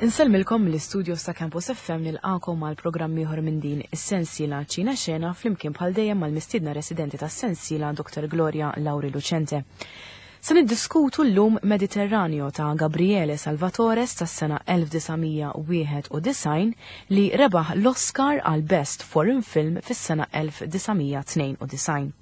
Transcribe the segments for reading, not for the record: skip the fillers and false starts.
Insellmilkom mill-istudios ta' Campus FM nilqakom għal programm ieħor minn din is-sensiela Ċina Xena flimkien bħal dejjem mal-mistiedna residenti tas-sensiela Dr. Gloria Lauri Lucente. Se niddiskutu llum Mediterraneo ta' Gabriele Salvatores tas-sena 1991 li rebaħ l-Oscar għal Best Foreign Film fis-sena 1992.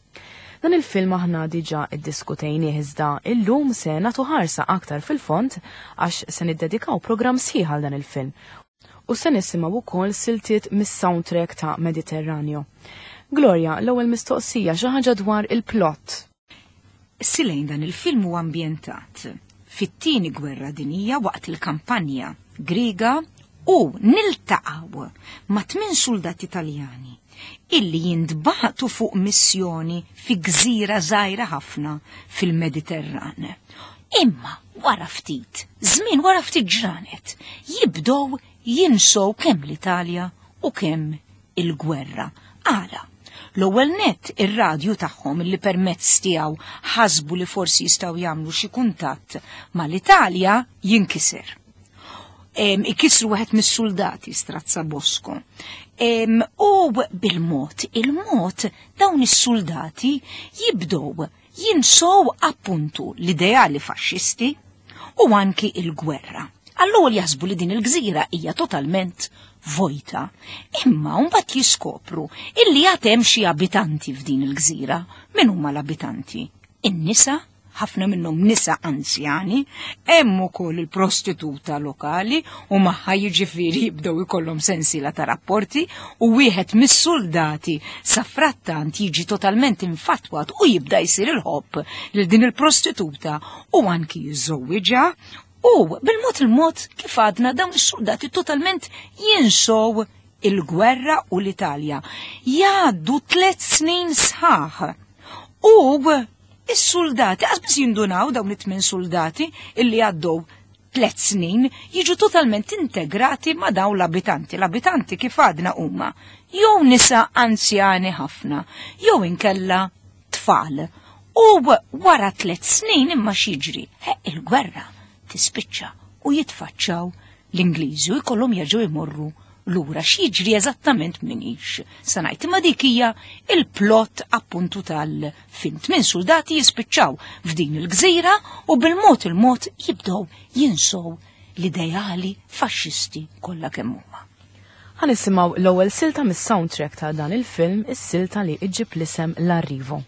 Dan il-film aħna diġà iddiskutejnieh iżda illum se nagħtu ħarsa aktar fil-fond għax se niddedikaw programm sħiħ għal dan il-film u se nisimgħu wkoll siltiet mis-soundtrack ta' Mediterraneo. Gloria, l-ewwel mistoqsija xi ħaġa dwar il-plot. Silejn dan il-film huwa ambjentat fit-tieni gwerra dinija waqt il-kampanja Griega u niltaqgħu ma' tmien suldati Taljani illi jintbagħtu fuq missjoni fi gżira żgħira ħafna fil-Mediterran. Imma wara ftit, żmien wara ftit ġranet, jibdew jinsow kemm l-Italja u kemm il-gwerra. Għala? L-ewwel nett ir-radju tagħhom li permezz tiegħu ħasbu li forsi jistgħu jagħmlu xi kuntatt mal-Italja jinkiser. Ikisru wieħed mis-suldati Strazza Bosco. U bil-mod, il-mod dawn is-suldati jibdew jinsow appuntu l-ideali faxxisti u anki il-gwerra. Allura jaħsbu li din il-gżira hija totalment vojta. Imma mbagħad jiskopru illi għad hemm xi abitanti f'din il-gżira. Min huma l-abitanti? In-nisa ħafna minnhom nisa anzjani, hemm ukoll il-prostituta lokali u magħha jiġifieri jibdew ikollhom sensiela ta' rapporti u wieħed mis-suldati sa frattant jiġi totalment infatwat u jibda jsir il-ħobb lil din il-prostituta u anki jiżżewwiġha u bil-mod il-mod kif għadna dawn is-suldati totalment jinsow il-gwerra u l-Italja. Jgħaddu tliet snin sħaħ. U Is-suldati, qas biss jindunaw dawn it-tmien suldati illi għaddew tlet snin jiġu totalment integrati ma' dawn l-abitanti. L-abitanti kif għadna huma jew nisa anzjani ħafna, jew inkella tfal. U wara tlet snin imma x'jiġri? Il-gwerra tispiċċa u jitfaċċaw l-Ingliżi u jkollhom jerġgħu jmorru lura x'jiġri eżattament minix se ngħid imma dik hija il-plot appuntu tal-film. Tmien soldati jispiċċaw f'din il-gżira u bil-mod il-mod jibdew jinsow l-ideali faxxisti kollha kemm huma. Ħa nisimgħu l-ewwel silta mis-soundtrack ta' dan il-film, is-silta li iġġib l-isem L-Arrivo.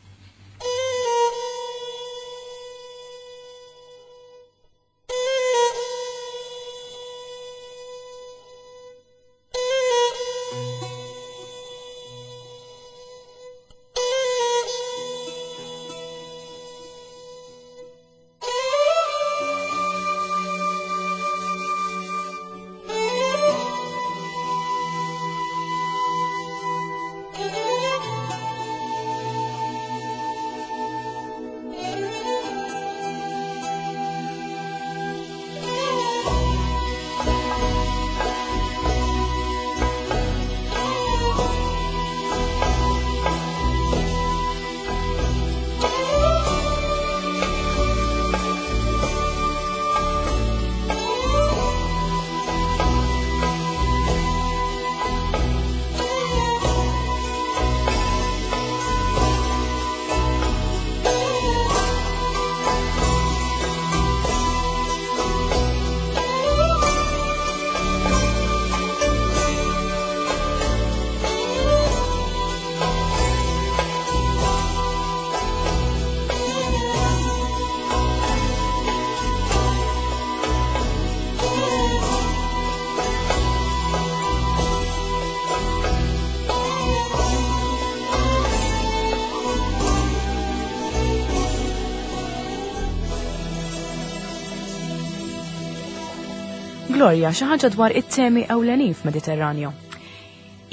Gloria, xi ħaġa dwar it-temi ewlenin f'Mediterraneo.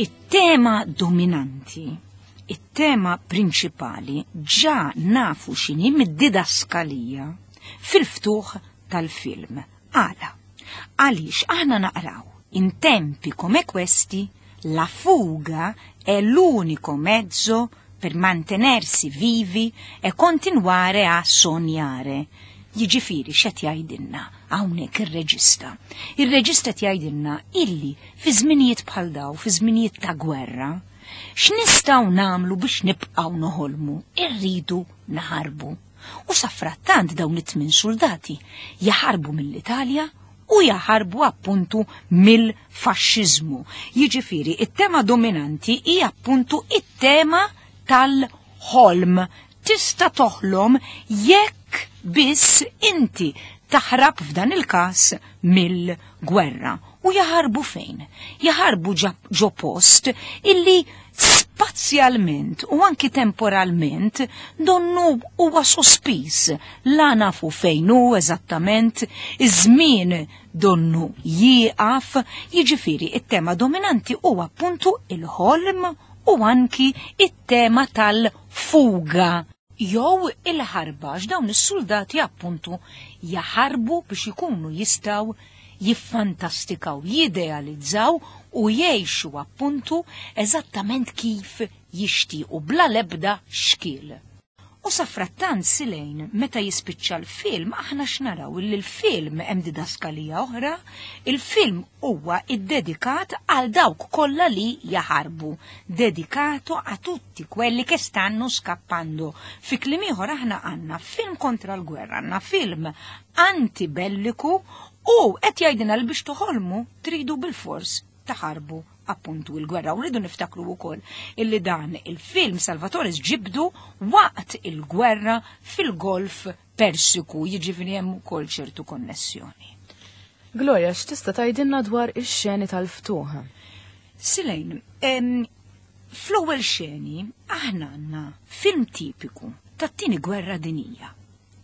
It-tema dominanti, it-tema prinċipali ġa nafu x'inhi mid-didaskalija fil-ftuħ tal-film. Għala? Għaliex aħna naqraw in tempi come questi la fuga è l'unico mezzo per mantenersi vivi e continuare a sognare. Jiġifieri x'qed jgħidilna? hawnhekk ir-reġista? Ir-reġista qed jgħidilna illi fi żminijiet bħal daw, fi żminijiet ta' gwerra, x'nistgħu nagħmlu biex nibqgħu noħolmu? Irridu naħarbu. U safrattant dawn it-tmien soldati jaħarbu mill-Italja u jaħarbu appuntu mill-faxxiżmu. Jiġifieri, it-tema dominanti hi appuntu it-tema tal-ħolm. Tista' toħlom jekk biss inti taħrab f'dan il-każ mill-gwerra. U jaħarbu fejn? Jaħarbu ġo post illi spazjalment u anki temporalment donnu huwa sospiż. La nafu fejn hu eżattament, iż-żmien donnu jieqaf, jiġifieri it-tema dominanti huwa appuntu il-ħolm u anki it-tema tal-fuga jew il-ħarba, għax dawn is-suldati appuntu jaħarbu biex ikunu jistgħu jiffantastikaw, jidealizzaw u jgħixu appuntu eżattament kif jixtiequ bla l-ebda xkiel. U safrattant Silejn, meta jispiċċa l-film, aħna x'naraw illi l-film hemm didaskalija oħra, il-film huwa iddedikat għal dawk kollha li jaħarbu, dedicato a tutti quelli che stanno scappando. Fi kliem ieħor aħna għandna film kontra l-gwerra, għandna film antibelliku u qed jgħidilna li biex toħolmu tridu bilfors taħarbu appuntu il-gwerra. U rridu niftakru wkoll illi dan il-film Salvatore ġibdu waqt il-gwerra fil-Golf Persiku, jiġifieri hemm ukoll ċertu konnessjoni. Gloria, x'tista' tgħidilna dwar ix-xeni tal-ftuħ? Silejn, fl-ewwel xeni aħna għandna film tipiku tat-tieni gwerra dinija.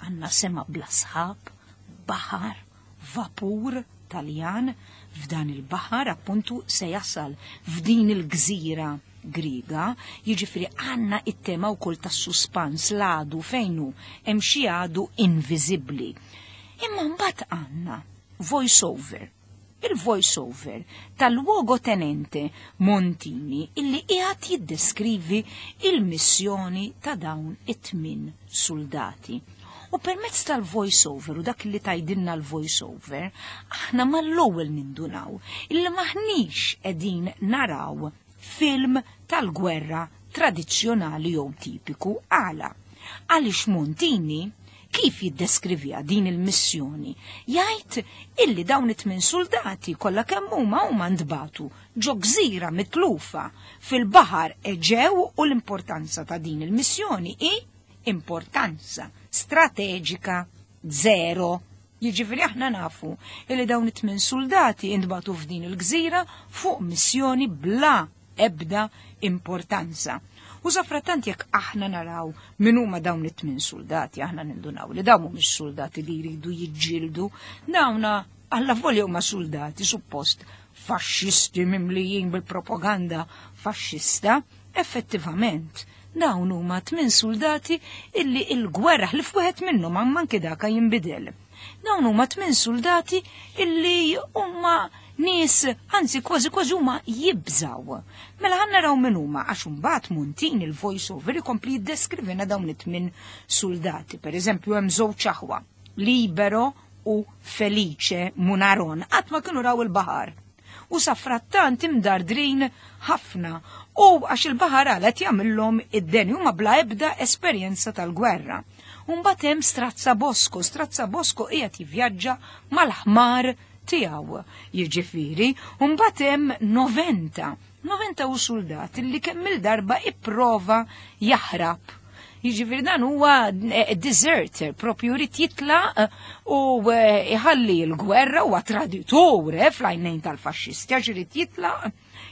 Għandna sema bla sħab, baħar, vapur Taljan f'dan il-baħar appuntu se jasal f'din il-gżira Griega, jiġifieri għandna it-tema wkoll tas-suspans, l-għadu fejn hu, hemm xi għadu inviżibbli. Imma mbagħad għandna voice over. Il-voice over tal-luogotenente Montini illi qiegħed jiddeskrivi il-missjoni ta' dawn it-tmien soldati. U permezz tal-voice over u dak li tgħidilna l-voice over, aħna mal-ewwel nindunaw illi maħniex qegħdin naraw film tal-gwerra tradizzjonali jew tipiku. Għala? Għaliex Montini kif jiddeskrivija din il-missjoni? Jgħid illi dawn it-tmien soldati kollha kemm huma huma ntbagħtu ġo gżira mitlufa fil-Baħar Eġew u l-importanza ta' din il-missjoni hi importanza strateġika zero. Jiġifieri aħna nafu illi dawn it-tmien soldati intbagħtu f'din il-gżira fuq missjoni bla ebda importanza. U safrattant jekk aħna naraw min huma dawn it-tmien soldati, aħna nindunaw li dawn mhumiex soldati li jridu jiġġieldu, dawna alla volja huma soldati suppost faxxisti mimlijin bil-propaganda faxxista, effettivament dawn huma tmien soldati illi il-gwerra li f'wieħed minnhom anki daka jinbidel. Dawn huma tmien soldati illi huma nies, anzi kważi kważi huma jibżaw. Mela ħa naraw min huma għax imbagħad Montini il-voice over ikompli jiddeskrivina dawn it-tmien soldati. Per eżempju hemm żewġ aħwa, Libero u Felice Munaron, qatt ma kienu raw il-baħar. U safrattant imdardrin ħafna u għax il-baħar għalet jagħmilhom id-deni huma bla ebda esperjenza tal-gwerra. Mbagħad hemm Strazza Bosco, Strazza Bosco qiegħed jivvjaġġa mal-ħmar tiegħu, jiġifieri, u mbagħad hemm Noventa. Noventa u soldat li kemm il-darba ipprova jaħrab. Jiġifieri dan huwa deserter, propju jrid jitlaq u iħalli l-gwerra huwa traditore fl-għajnejn tal-faxxisti għax irid jitlaq,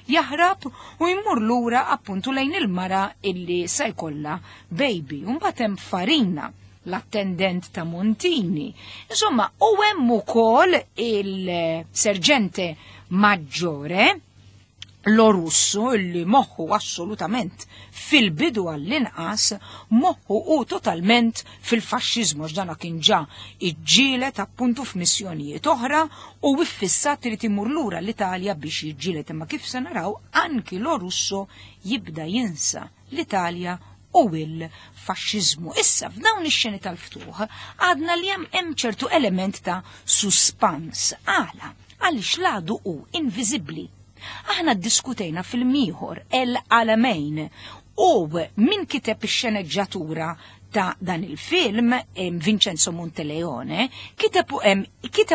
jaħrab u jmur lura appuntu lejn il-mara illi se jkollha baby. U mbagħad hemm Farina, l-attendent ta' Montini. Insomma, u hemm ukoll il-serġente maggiore Lorusso, illi moħħu assolutament fil-bidu għall-inqas, moħħu u totalment fil-faxxiżmu, għax dana kien ġa iġġielet appuntu f'missjonijiet oħra u iffissat irid imur lura l-Italja biex jiġġielet, imma kif se naraw anki Lorusso jibda jinsa l-Italja u il-faxxiżmu. Issa f'dawn ix-xeni tal-ftuħ għadna li hemm ċertu element ta' suspans. Għala, għaliex l-għadu hu inviżibbli. Aħna ddiskutejna film ieħor El Alamein u min kiteb ix-xeneġġatura ta' dan il-film, Vincenzo Monteleone, kiteb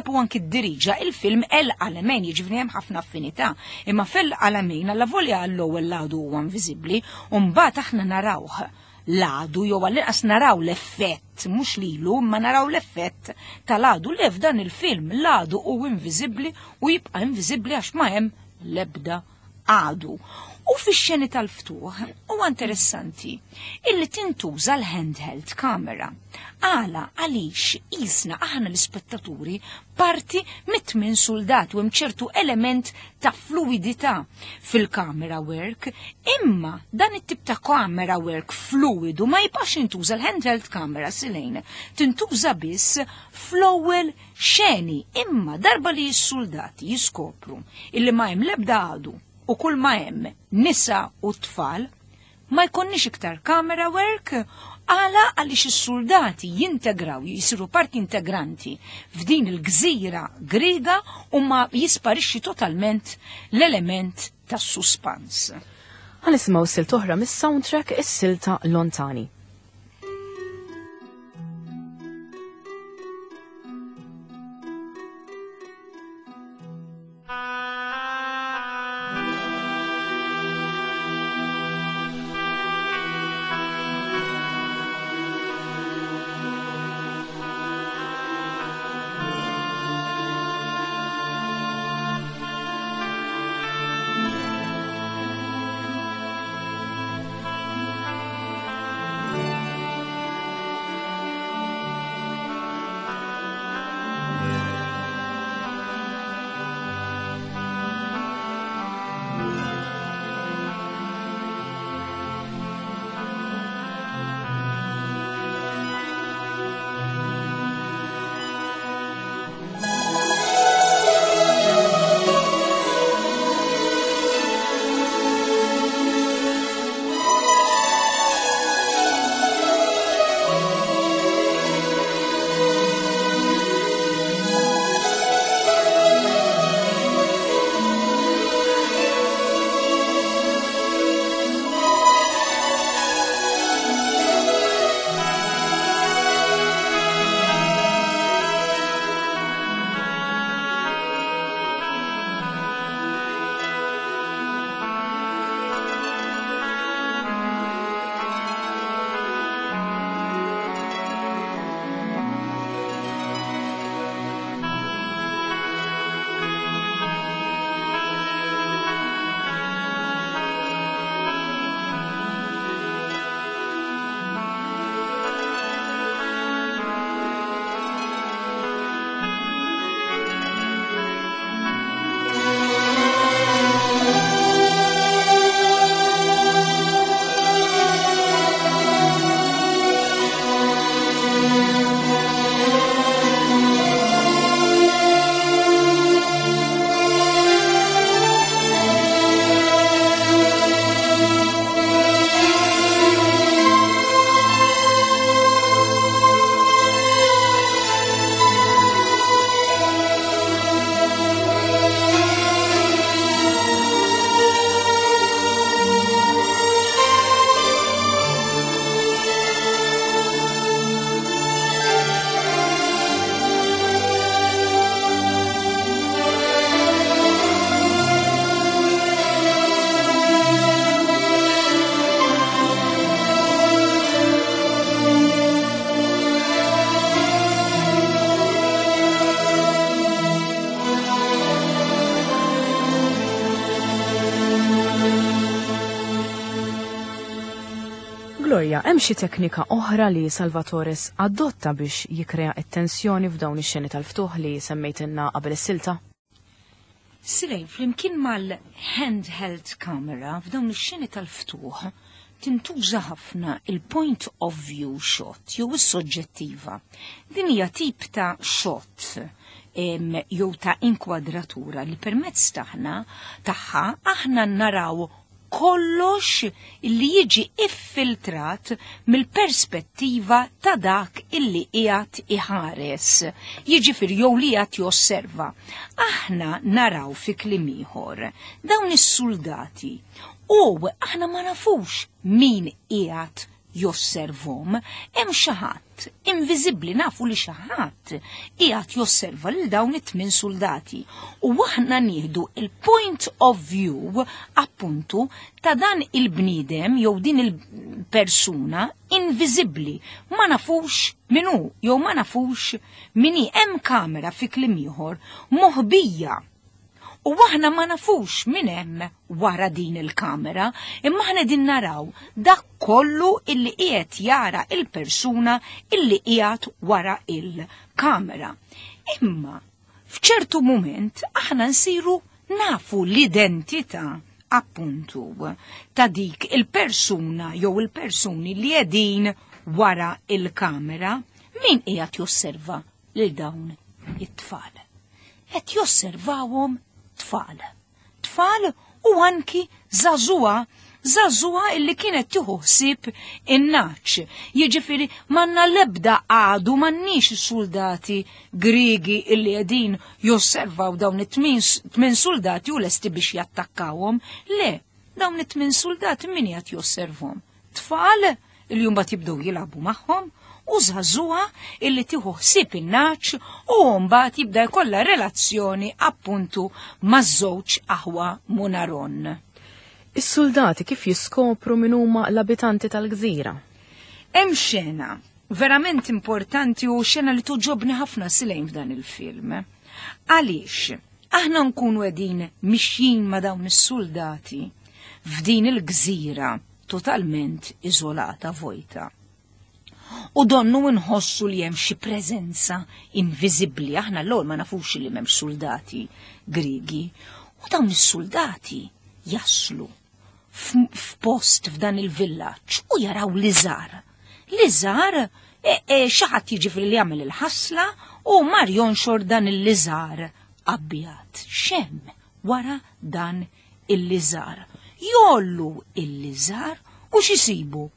u anki ddiriġa il-film El Alamein, jiġifieri hemm ħafna affinità. Imma f'El Alamein allavolja għall-ewwel l-għadu huwa inviżibbli, u mbagħad aħna narawh l-għadu jew għall-inqas naraw l-effett, mhux lilu, imma naraw l-effett tal-għadu. Le f'dan il-film l-għadu hu inviżibbli u jibqa' inviżibbli għax ma hemm l-ebda għadu. U fix-xeni tal-ftuħ huwa interessanti illi tintuża l-handheld camera. Għala għaliex qisna aħna l-ispettaturi parti mit-tmien suldat u hemm ċertu element ta' fluidità fil-camera work, imma dan it-tip ta' camera work fluidu ma jibqax jintuża l-handheld camera silejn, tintuża biss fl-ewwel xeni, imma darba li s-suldati jiskopru illi ma hemm l-ebda għadu u kull ma hemm nisa u tfal, ma jkollniex iktar camera work, għala għaliex is-soldati jintegraw, jisiru parti integranti f'din il-gżira Griega u ma jisparixxi totalment l-element tas-suspans. Ħa nisimgħu silta oħra mis-soundtrack is-silta Lontani. Gloria, hemm xi teknika oħra li Salvatores adotta biex jikrea t-tensjoni f'dawn ix-xeni tal-ftuħ li semmejtilna qabel is-silta? Sirejn, flimkien mal-handheld camera f'dawn ix-xeni tal-ftuħ tintuża ħafna il-point of view shot jew is-soġġettiva. Din hija tip ta' shot jew ta' inkwadratura li permezz taħna tagħha aħna naraw Kollox illi jiġi iffiltrat mill-perspettiva ta' dak illi qiegħed iħares, jiġifieri jew li qiegħed josserva. Aħna naraw fi kliem ieħor dawn is-suldati u aħna ma nafux min qiegħed josservhom, hemm xi ħadd inviżibbli nafu li xi ħadd qiegħed josserva lil dawn it-tmien suldati u aħna nieħdu il-point of view appuntu ta' dan il-bniedem jew din il-persuna inviżibbli ma nafux min hu jew ma nafux min hi hemm kamera fi kliem ieħor moħbija U aħna ma nafux min hemm wara din il-kamera, imma aħna din naraw dak kollu illi qiegħed jara il-persuna illi qiegħed wara il-kamera. Imma f'ċertu mument aħna nsiru nafu l-identità appuntu ta' dik il-persuna jew il-persuni li qegħdin wara il-kamera min qiegħed josserva lil dawn it-tfal. Qed josservawhom tfal. Tfal u anki żagħżugħa, żagħżugħa illi kienet tieħu ħsieb in-naċ. Jiġifieri m'għandna l-ebda għadu m'għandniex soldati Griegi illi qegħdin josservaw dawn it-tmien soldati u lesti biex jattakkawhom. Le, dawn it-tmien soldati min qed josservhom? Tfal li mbagħad jibdew jilagħbu magħhom u żagħżugħa illi tieħu ħsieb in-naċ u mbagħad jibda jkollha relazzjoni appuntu maż-żewġ aħwa Munaron. Is-soldati kif jiskopru min huma l-abitanti tal-gżira? Hemm xena verament importanti u xena li tuġobni ħafna silejn f'dan il-film. Għaliex aħna nkunu qegħdin mixjin ma' dawn is-soldati f'din il-gżira totalment iżolata vojta. U donnu nħossu li hemm xi preżenza inviżibbli, aħna l-ewwel ma nafux li m'hemmx soldati Griegi. U dawn is-soldati jaslu f'post f'dan il-villaġġ u jaraw liżar. Liżar e, e, xi ħadd jiġifieri li jagħmel il-ħasla u mar jonxor dan il-liżar abjad. X'hemm wara dan il-liżar. Jollu il-liżar u x'isibu?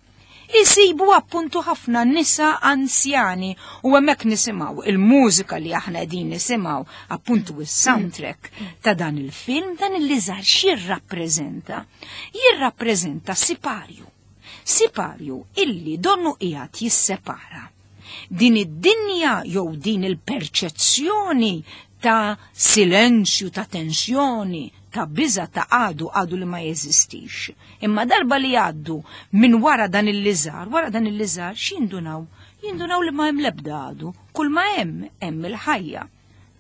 Isibu appuntu ħafna nisa anzjani u hemmhekk nisimgħu il-mużika li aħna qegħdin nisimgħu appuntu is-soundtrack ta' dan il-film, dan il-liżar x'jirrappreżenta? Jirrappreżenta siparju. Siparju illi donnu qiegħed jissepara din id-dinja jew din il-perċezzjoni ta' silenzju, ta' tensjoni, ta' biża ta' għadu għadu li ma jeżistix. Imma darba li għaddu minn wara dan il-liżar, wara dan il-liżar x'jindunaw? Jindunaw li ma hemm l-ebda għadu, kull ma hemm hemm il-ħajja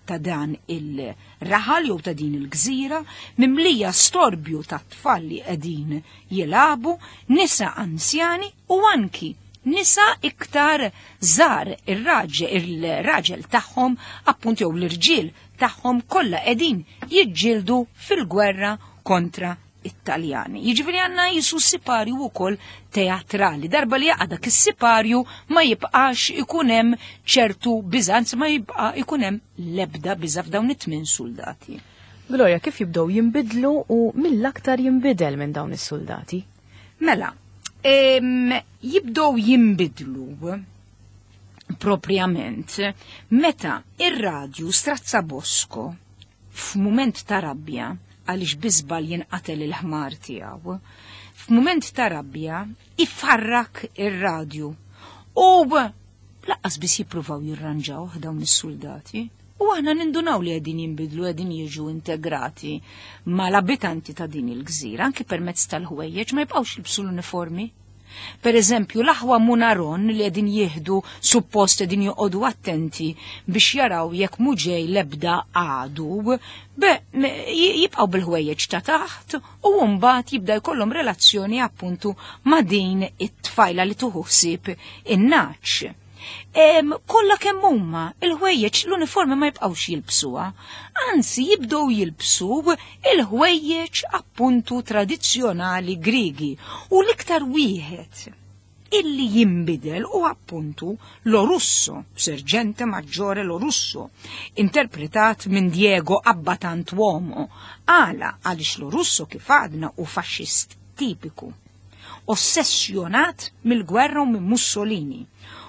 ta' dan il-raħal jew ta' din il-gżira mimlija storbju ta' tfal li qegħdin jilagħbu, nisa anzjani u anki nisa iktar żgħar ir-raġel tagħhom appunt jew l-irġiel tagħhom kollha qegħdin jiġġieldu fil-gwerra kontra it-Taljani. Jiġifieri għandna jisu siparju wkoll teatrali. Darba li jaqa' dak is-siparju ma jibqax ikun hemm ċertu biża', anzi ma jibqa' ikun hemm l-ebda biża' f'dawn it-tmien soldati. Gloria, kif jibdew jinbidlu u mill-aktar jinbidel minn dawn is-soldati? Mela, jibdew jinbidlu propjament meta ir-radju Strazzabosco f'mument ta' rabja għaliex biżbal jinqatel il-ħmar tiegħu, f'mument ta' rabja ifarrak ir-radju u laqqas biss jippruvaw jirranġawh dawn is-soldati. U aħna nindunaw li qegħdin jinbidlu qegħdin jiġu integrati mal-abitanti ta' din il-gżira, anki permezz tal-ħwejjeġ ma jibqgħux jilbsu l-uniformi. Per eżempju, l-aħwa Munaron li qegħdin jieħdu suppost qegħdin joqogħdu attenti biex jaraw jekk mhu ġej l-ebda għadu, jibqgħu bil-ħwejjeġ ta' taħt u mbagħad jibda jkollhom relazzjoni appuntu ma' din it-tfajla li tuħu ħsieb in-naċ. Kollha kemm huma il-ħwejjeġ l-uniformi ma jibqgħux jilbsuha, anzi jibdew jilbsu il-ħwejjeġ appuntu tradizzjonali Griegi u l-iktar wieħed illi jinbidel u appuntu Lorusso, Sergente Maggiore Lorusso, interpretat minn Diego Abbatantuomo. Għala għaliex Lorusso kif għadna u faxxist. tipiku. Ossessjonat mill-gwerra u minn Mussolini.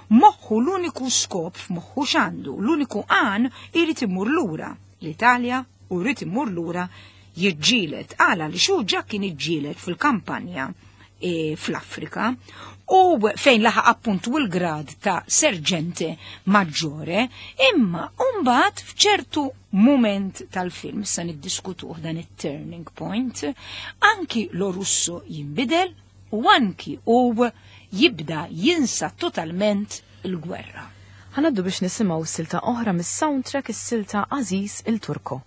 Moħħu l-uniku skop f'moħħu x'għandu, l-uniku għan irid imur lura l-Italja u jrid imur lura jiġġieled. Għala li xu ġa kien iġġieled fil-kampanja e, fl-Afrika u fejn laħaq appuntu l-grad ta' serġente maggiore, imma mbagħad f'ċertu mument tal-film, sa niddiskutuh dan it-turning point, anki Lorusso jinbidel u anki u jibda jinsa totalment il-gwerra. Ħanaddu biex nisimgħu silta oħra mis-soundtrack is-silta Aziz il-Turko.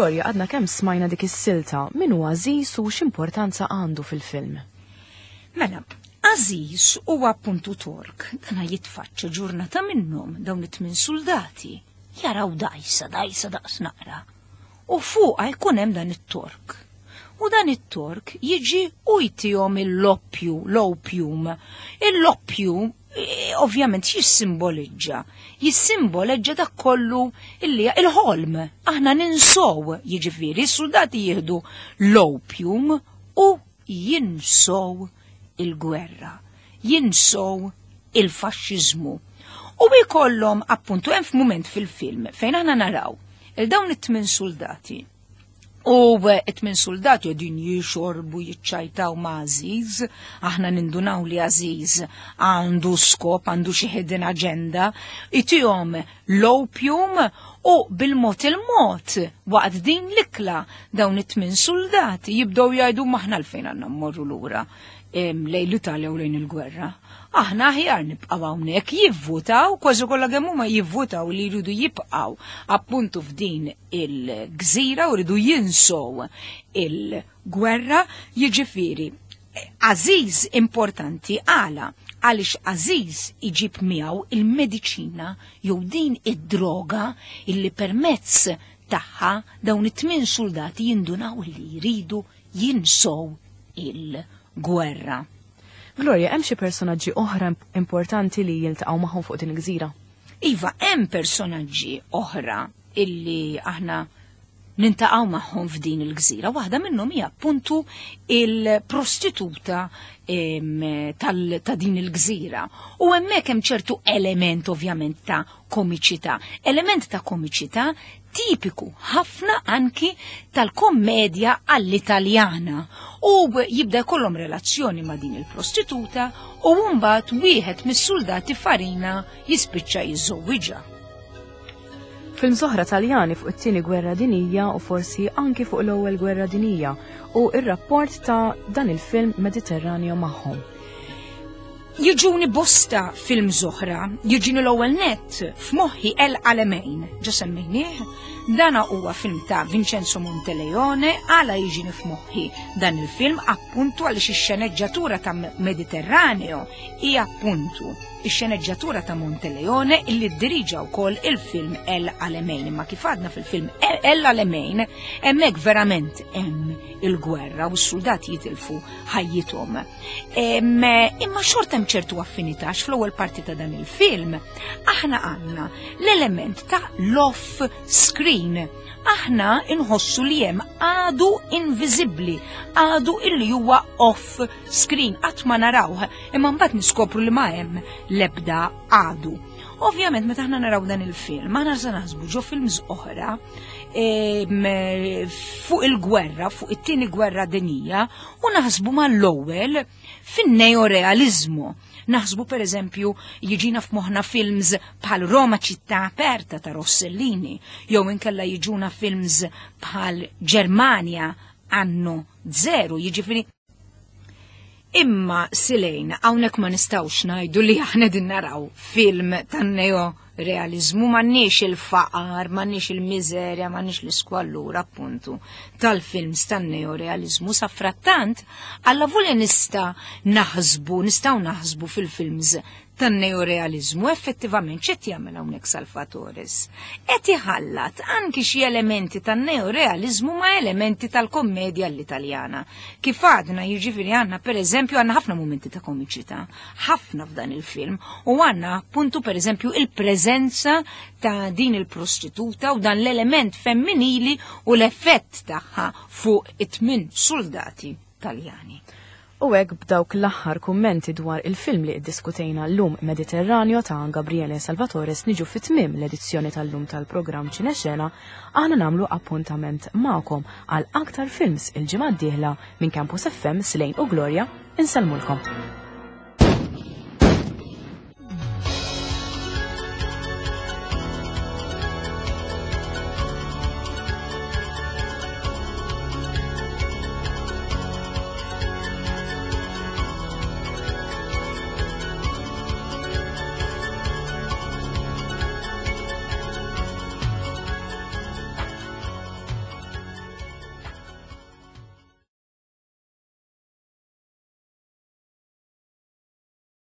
Gloria, għadna kemm smajna dik is-silta, min hu Aziz u x'importanza għandu fil-film? Mela, Aziz huwa appuntu Tork, dana jitfaċċa ġurnata minnhom dawn it-tmien soldati, jaraw dajsa, dajsa daqs naqra. U fuqha jkun hemm dan it-Tork. U dan it-Tork jiġi u jtihom il-loppju, l-opium. Il-loppju ovvjament jissimboleġġa? Jissimboleġġa dak kollu illi il-ħolm. Aħna ninsow, jiġifieri, s-soldati jieħdu l-opium u jinsow il-gwerra, jinsow il-faxxiżmu. U jkollhom appuntu hemm f'mument fil-film fejn aħna naraw il-dawn it-tmien soldati. U it-tmien soldati qegħdin jixorbu jiċċajtaw ma' Aziz, aħna nindunaw li Aziz għandu skop, għandu xi hidden agenda, itihom l-opium u bil-mod il-mod waqt din l-ikla dawn it-tmien soldati jibdew jgħidu maħna l-fejn għandna mmorru lura lejn l-Italja u lejn il-gwerra. Aħna aħjar nibqgħu hawnhekk jivvutaw, kważi kollha kemm huma jivvutaw li jridu jibqgħu appuntu f'din il-gżira u jridu jinsow il-gwerra, jiġifieri Aziz importanti għala għaliex Aziz iġib miegħu il-mediċina jew din id-droga illi permezz tagħha dawn it-tmien soldati jindunaw li jridu jinsow il-gwerra. Gloria, hemm xi personaġġi oħra importanti li jiltaqgħu magħhom fuq din il-gżira? Iva, hemm personaġġi oħra illi aħna nintaqgħu magħhom f'din il-gżira. Waħda minnhom hija appuntu il-prostituta ta' din il-gżira. U hemmhekk hemm ċertu element ovvjament ta' komiċità. Element ta' komiċità tipiku ħafna anki tal-kommedja għall-Italjana. U jibda jkollhom relazzjoni ma' din il-prostituta u mbagħad wieħed mis-soldati Farina jispiċċa jiżżewwiġha. Films oħra Taljani fuq it-Tieni Gwerra Dinjija u forsi anki fuq l-Ewwel Gwerra Dinjija u r-rapport ta' dan il-film Mediterraneo magħhom. Jiġuni bosta films oħra, jiġini l-ewwel nett f'moħħi El Alamein, ġa semmejnieh, dana huwa film ta' Vincenzo Monteleone, għala jiġini f'moħħi dan il-film appuntu għaliex ix-xeneġġatura ta' Mediterraneo hija appuntu ix-xeneġġatura ta' Monteleone illi ddiriġa wkoll il-film El Alamein. Imma kif għadna fil-film El Alamein, hemmhekk verament hemm il-gwerra u s-soldati jitilfu ħajjithom. Imma xorta hemm ċertu affinità għax fl-ewwel parti ta' dan il-film aħna għandna l-element ta' l-off screen. Aħna inħossu li hemm għadu inviżibbli, għadu illi huwa off screen, qatt ma narawh, imma mbagħad niskopru li ma hemm l-ebda għadu. Ovvjament meta aħna naraw dan il-film, aħna se naħsbu ġo films oħra fuq il-gwerra, fuq it-tieni gwerra dinjija, u naħsbu mal-ewwel fin-neorealizmu. Naħsbu per eżempju jiġina f'moħħna films bħal Roma ċittà aperta ta' Rossellini, jew inkella jiġuna films bħal Ġermanja anno zero, jiġifieri Imma Silejn, hawnhekk ma nistgħux ngħidu li aħna din naraw film tan-neo realizmu, m'għandniex il-faqar, m'għandniex il-miżerja, m'għandniex l-iskwallura appuntu tal-films tan-neorealizmu. Sa frattant, alla volja nista' naħsbu, nistgħu naħsbu fil-films tan-neorealizmu, effettivament x'qed jagħmel hawnhekk Salvatores? Qed iħallat anki xi elementi tan-neorealizmu ma' elementi tal-kommedja l-Italjana. Kif għadna, jiġifieri għandna pereżempju għandna ħafna mumenti ta' komiċità, ħafna f'dan il-film, u għandna appuntu pereżempju il-preżenza ta' din il-prostituta u dan l-element femminili u l-effett tagħha fuq it-tmien soldati Taljani. U hekk b'dawk l-aħħar kummenti dwar il-film li ddiskutejna llum Mediterraneo ta' Gabriele Salvatores niġu fi tmiem l-edizzjoni tal-lum tal-programm Ċinexena, aħna nagħmlu appuntament magħkom għal aktar films il-ġimgħa d-dieħla minn Campus FM Slane u Gloria, insellmulkom.